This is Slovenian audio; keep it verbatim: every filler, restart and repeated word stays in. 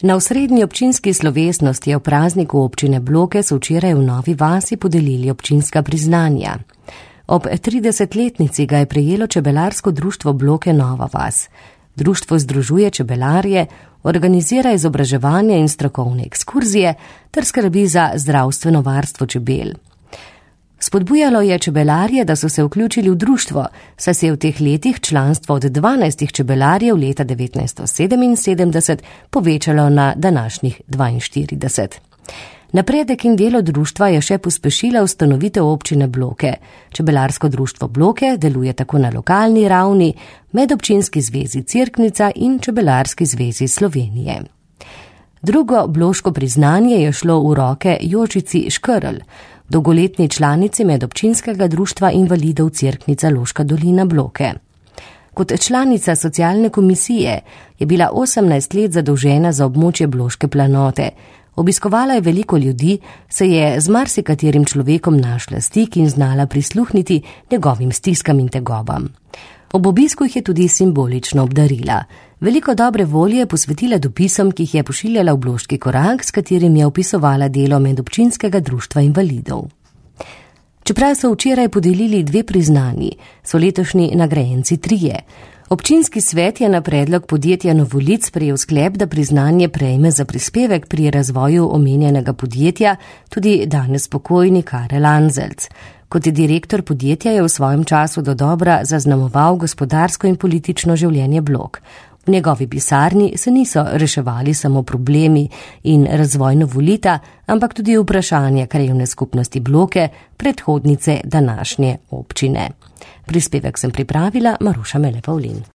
Na osrednji občinski slovesnosti v prazniku občine Bloke so včeraj v Novi vasi podelili občinska priznanja. Ob tridesetletnici ga je prejelo čebelarsko društvo Bloke Nova vas. Društvo združuje čebelarje, organizira izobraževanje in strokovne ekskurzije ter skrbi za zdravstveno varstvo čebel. Spodbujalo je čebelarje, da so se vključili v društvo, saj se je v teh letih članstvo od dvanajstih čebelarjev leta devetnajststo sedeminsedemdeset povečalo na današnjih dvainštirideset. Napredek in delo društva je še pospešila ustanovitev občine Bloke. Čebelarsko društvo Bloke deluje tako na lokalni ravni, Medobčinski zvezi Cerknica in Čebelarski zvezi Slovenije. Drugo bloško priznanje je šlo v roke Jožici Škrl, dolgoletni članici Medobčinskega društva invalidov Cerknica Loška dolina Bloke. Kot članica socialne komisije je bila osemnajst let zadolžena za območje Bloške planote. Obiskovala je veliko ljudi, se je z marsikaterim človekom našla stik in znala prisluhniti njegovim stiskam in tegobam. Ob obisku jih je tudi simbolično obdarila. Veliko dobre volje je posvetila dopisom, ki jih je pošiljala v Bloški korak, s katerim je opisovala delo Medobčinskega društva invalidov. Čeprav so včeraj podelili dve priznanji, so letošnji nagrajenci trije. Občinski svet je na predlog podjetja Novolic sprejel sklep, da priznanje prejme za prispevek pri razvoju omenjenega podjetja tudi danes pokojni Karel Anzelc. Kot direktor podjetja je v svojem času dodobra zaznamoval gospodarsko in politično življenje Blok. V njegovi pisarni se niso reševali samo problemi in razvoj Novolita, ampak tudi vprašanja krajevne skupnosti Bloke, predhodnice današnje občine. Prispevek sem pripravila Maruša Mele Pavlin.